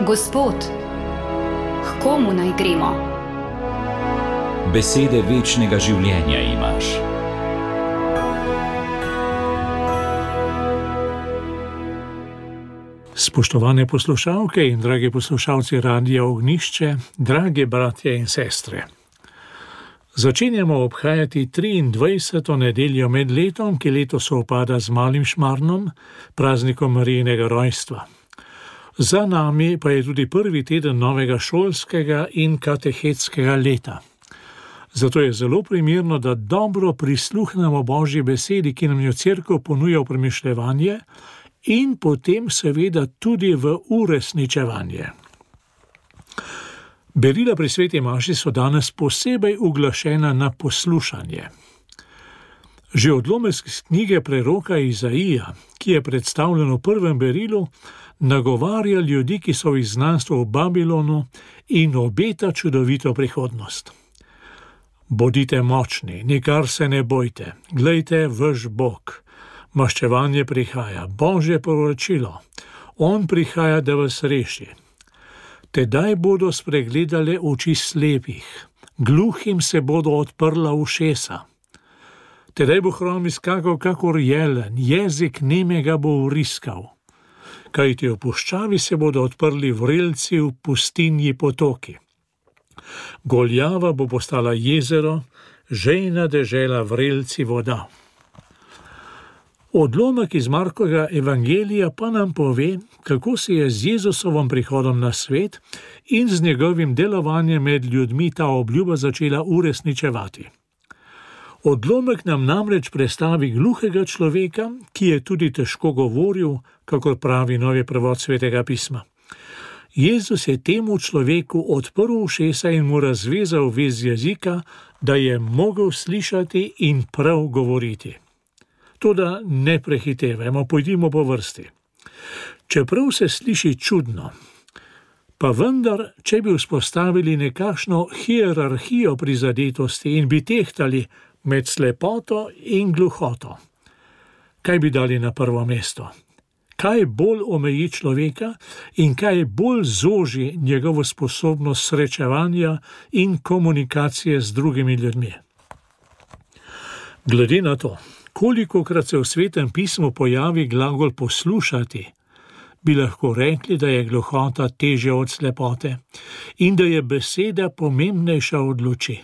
Gospod, k komu naj gremo? Besede večnega življenja imaš. Spoštovane poslušalke in dragi poslušalci Radia Ognjišče, drage bratje in sestre. Začenjamo obhajati 23. nedeljo med letom, ki letos sovpada z Malim Šmarnom, praznikom Marijinega rojstva. Za nami pa je tudi prvi teden novega šolskega in katehetskega leta. Zato je zelo primerno, da dobro prisluhnemo Božji besedi, ki nam jo Cerkev ponuja v premišljevanje, in potem seveda tudi v uresničevanje. Berila pri sveti maši so danes posebej uglašena na poslušanje. Že odlomek iz knjige preroka Izaija, ki je predstavljen v prvem berilu, nagovarja ljudi, ki so v izgnanstvu v Babilonu, in obeta čudovito prihodnost. Bodite močni, nikar se ne bojte, glejte vaš Bog. Maščevanje prihaja, Božje poročilo. On prihaja, da vas reši. Tedaj bodo spregledale oči slepih, gluhim se bodo odprla ušesa. Tedaj bo hrom izskakal kakor jelen, jezik nemega bo vriskal. Kajti v puščavi se bodo odprli vrelci, v pustinji potoki. Goljava bo postala jezero, žejna dežela vrelci voda. Odlomek iz Markovega evangelija pa nam pove, kako se je z Jezusovom prihodom na svet in z njegovim delovanjem med ljudmi ta obljuba začela uresničevati. Odlomek nam namreč predstavi gluhega človeka, ki je tudi težko govoril, kakor pravi novi prevod Svetega pisma. Jezus je temu človeku odprl ušesa in mu razvezal vez jezika, da je mogel slišati in prav govoriti. Toda ne prehitevajmo, pojdimo po vrsti. Čeprav se sliši čudno, pa vendar, če bi vzpostavili nekakšno hierarhijo prizadetosti in bi tehtali med slepoto in gluhoto, kaj bi dali na prvo mesto? Kaj bolj omeji človeka in kaj bolj zoži njegovo sposobnost srečevanja in komunikacije z drugimi ljudmi? Glede na to, kolikokrat se v Svetem pismu pojavi glagol poslušati, bi lahko rekli, da je gluhota težja od slepote in da je beseda pomembnejša od luči.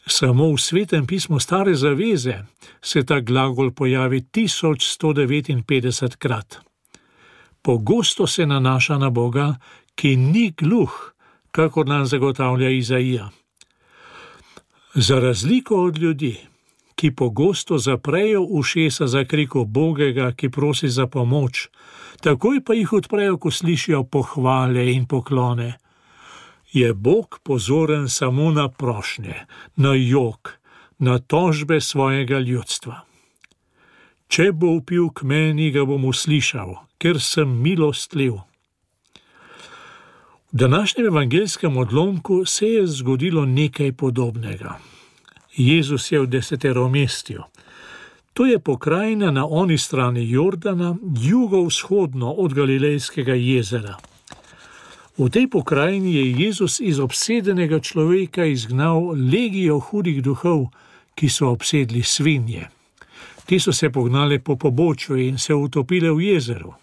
Samo v Svetem pismu Stare zaveze se ta glagol pojavi 1159 krat. Pogosto se nanaša na Boga, ki ni gluh, kakor nam zagotavlja Izaija. Za razliko od ljudi, ki pogosto zaprejo ušesa za krik ubogega, ki prosi za pomoč, takoj pa jih odprejo, ko slišijo pohvale in poklone. Je Bog pozoren samo na prošnje, na jok, na tožbe svojega ljudstva. Če bo vpil k meni, ga bom uslišal, ker sem milostljiv. V današnjem evangelskem odlomku se je zgodilo nekaj podobnega. Jezus je v Deseteromestju. To je pokrajina na oni strani Jordana, jugovzhodno od Galilejskega jezera. V tej pokrajini je Jezus iz obsedenega človeka izgnal legijo hudih duhov, ki so obsedli svinje. Ti so se pognale po pobočju in se utopile v jezeru.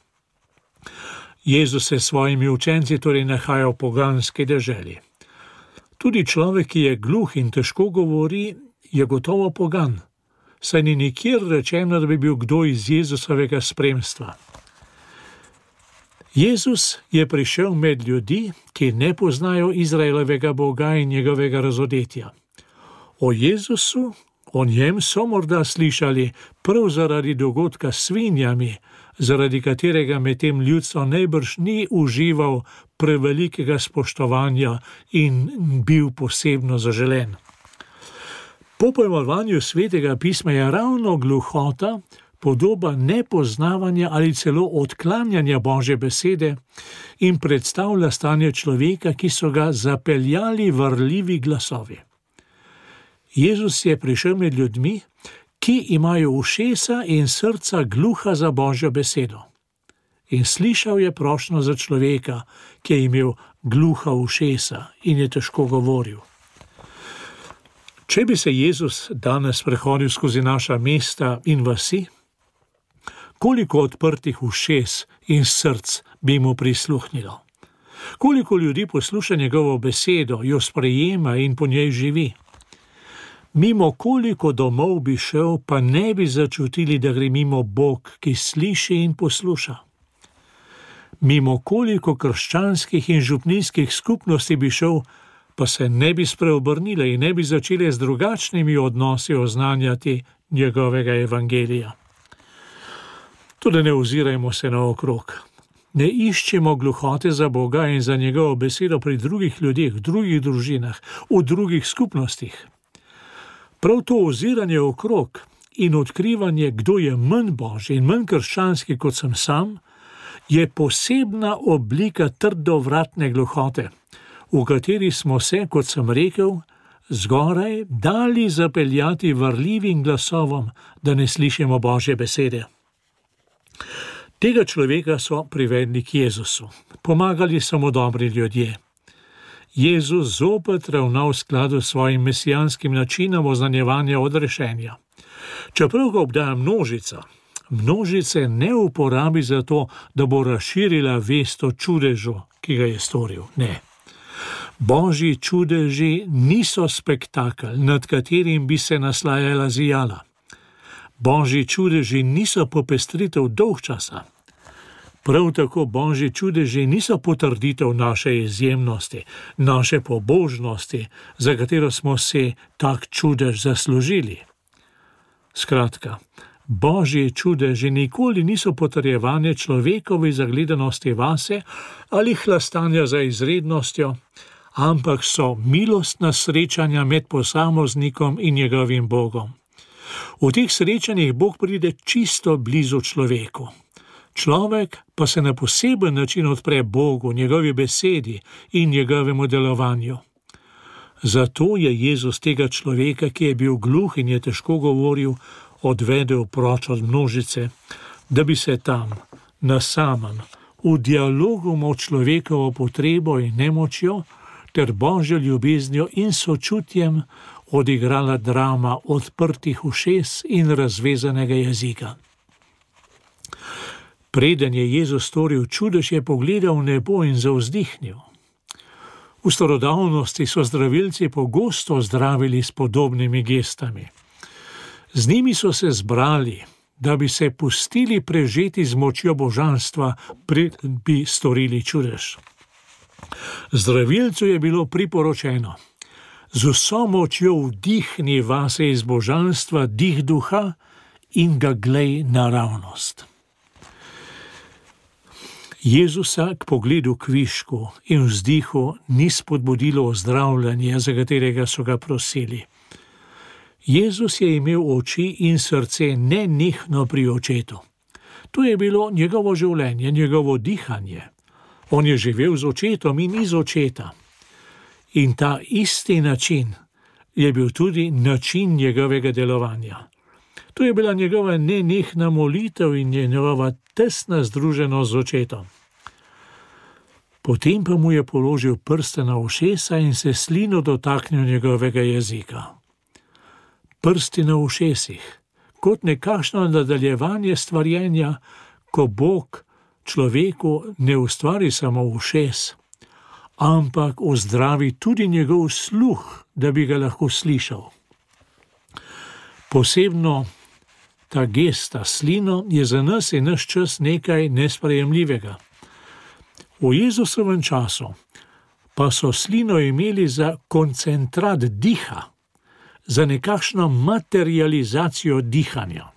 Jezus se s svojimi učenci torej nahaja v poganski deželi. Tudi človek, ki je gluh in težko govori, je gotovo pogan, saj ni nikjer rečeno, da bi bil kdo iz Jezusovega spremstva. Jezus je prišel med ljudi, ki ne poznajo Izraelovega Boga in njegovega razodetja. O Jezusu, o njem so morda slišali prav zaradi dogodka s svinjami, zaradi katerega med tem ljudstvo najbrž ni užival prevelikega spoštovanja in bil posebno zaželen. Po pojmovanju Svetega pisma je ravno gluhota podoba nepoznavanja ali celo odklanjanja Božje besede in predstavlja stanje človeka, ki so ga zapeljali varljivi glasovi. Jezus je prišel med ljudmi, ki imajo ušesa in srca gluha za Božjo besedo. in slišal je prošnjo za človeka, ki je imel gluha ušesa in je težko govoril. Če bi se Jezus danes prehodil skozi naša mesta in vasi, koliko odprtih ušes in src bi mu prisluhnilo? Koliko ljudi posluša njegovo besedo, jo sprejema in po njej živi? Mimo koliko domov bi šel, pa ne bi začutili, da gre mimo Bog, ki sliši in posluša? Mimo koliko krščanskih in župnijskih skupnosti bi šel, pa se ne bi spreobrnile in ne bi začele z drugačnimi odnosi oznanjati njegovega evangelija. Tudi ne ozirajmo se naokrog. Ne iščemo gluhote za Boga in za njegovo besedo pri drugih ljudeh, drugih družinah, v drugih skupnostih. Prav to oziranje okrog in odkrivanje, kdo je manj božji in manj krščanski kot sem sam, je posebna oblika trdovratne gluhote, v kateri smo se, kot sem rekel, zgoraj dali zapeljati varljivim glasovom, da ne slišimo Božje besede. Tega človeka so privedli k Jezusu. Pomagali so mu dobri ljudje. Jezus zopet ravna v skladu s svojim mesijanskim načinom oznanjevanja odrešenja. Čeprav ga obdaja množice ne uporabi za to, da bo razširila vest o čudežu, ki ga je storil. Ne. Božji čudeži niso spektakel, nad katerim bi se naslajala zijala. Božji čudeži niso popestritev dolgčasa. Prav tako Božji čudeži niso potrditev naše izjemnosti, naše pobožnosti, za katero smo si tak čudež zaslužili. Skratka, Božji čudeži nikoli niso potrjevanje človekovi zagledanosti vase ali hlastanja za izrednostjo, ampak so milostna srečanja med posameznikom in njegovim Bogom. V teh srečanjih Bog pride čisto blizu človeku. Človek pa se na poseben način odpre Bogu, njegovi besedi in njegovemu delovanju. Zato je Jezus tega človeka, ki je bil gluh in je težko govoril, odvedel proč od množice, da bi se tam, na samem, v dialogu med človekovo potrebo in nemočjo ter Božjo ljubeznijo in sočutjem odigrala drama odprtih ušes in razvezanega jezika. Preden je Jezus storil čudež, je pogledal v nebo in zavzdihnil. V starodavnosti so zdravilci pogosto zdravili s podobnimi gestami. Z njimi so se zbrali, da bi se pustili prežeti z močjo božanstva, preden bi storili čudež. Zdravilcu je bilo priporočeno: z vso močjo vdihni vase iz božanstva dih duha in ga glej naravnost. Jezusa k pogledu kvišku in vzdihu ni spodbudilo ozdravljanje, za katerega so ga prosili. Jezus je imel oči in srce nenehno pri očetu. To je bilo njegovo življenje, njegovo dihanje. On je živel z očetom in iz očeta. In ta isti način je bil tudi način njegovega delovanja. To je bila njegova nenehna molitev in njegova tesna združenost z očetom. Potem pa mu je položil prste na ušesa in se slino dotaknil njegovega jezika. Prsti na ušesih, kot nekakšno nadaljevanje stvarjenja, ko Bog človeku ne ustvari samo ušes, ampak ozdravi tudi njegov sluh, da bi ga lahko slišal. Posebno ta gesta slino je za nas in naš čas nekaj nesprejemljivega. V Jezusovem času pa so slino imeli za koncentrat diha, za nekakšno materializacijo dihanja.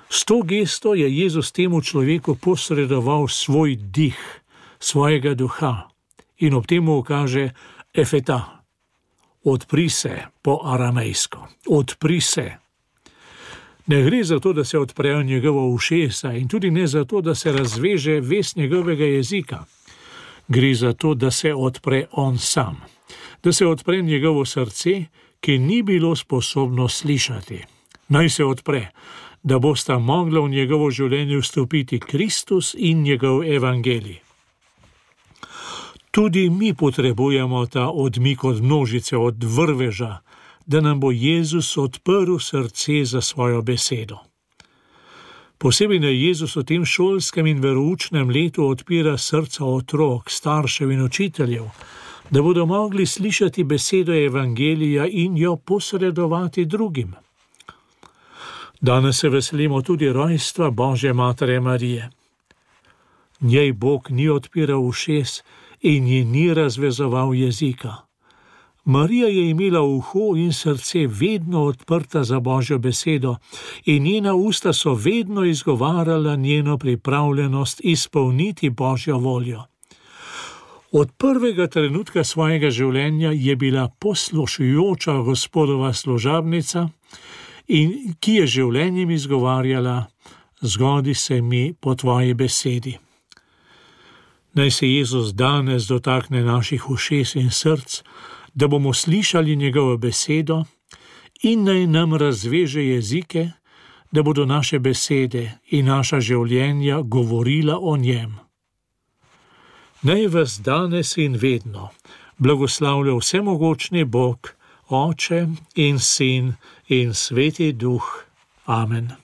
S to gesto je Jezus temu človeku posredoval svoj dih, svojega duha in ob temu ukaže efeta, odpri se po aramejsko, odpri se. Ne gre za to, da se odprejo njegovo ušesa in tudi ne za to, da se razveže vest njegovega jezika. Gre za to, da se odpre on sam, da se odpre njegovo srce, ki ni bilo sposobno slišati. Naj se odpre, da bosta mogla v njegovo življenje vstopiti Kristus in njegov evangelij. Tudi mi potrebujemo ta odmik od množice, od vrveža, da nam bo Jezus odprl srce za svojo besedo. Posebej naj Jezus v tem šolskem in veroučnem letu odpira srca otrok, staršev in učiteljev, da bodo mogli slišati besedo evangelija in jo posredovati drugim. Danes se veselimo tudi rojstva Božje Matere Marije. Njej Bog ni odpiral ušes in ji ni razvezoval jezika. Marija je imela uho in srce vedno odprta za Božjo besedo in njena usta so vedno izgovarjala njeno pripravljenost izpolniti Božjo voljo. Od prvega trenutka svojega življenja je bila poslušujoča Gospodova služabnica, in ki je življenjem izgovarjala: zgodi se mi po tvoji besedi. Naj se Jezus danes dotakne naših ušes in src, da bomo slišali njegovo besedo, in naj nam razveže jezike, da bodo naše besede in naša življenja govorila o njem. Naj vas danes in vedno blagoslavlja vsemogočni Bog, Oče in Sin in Sveti Duh. Amen.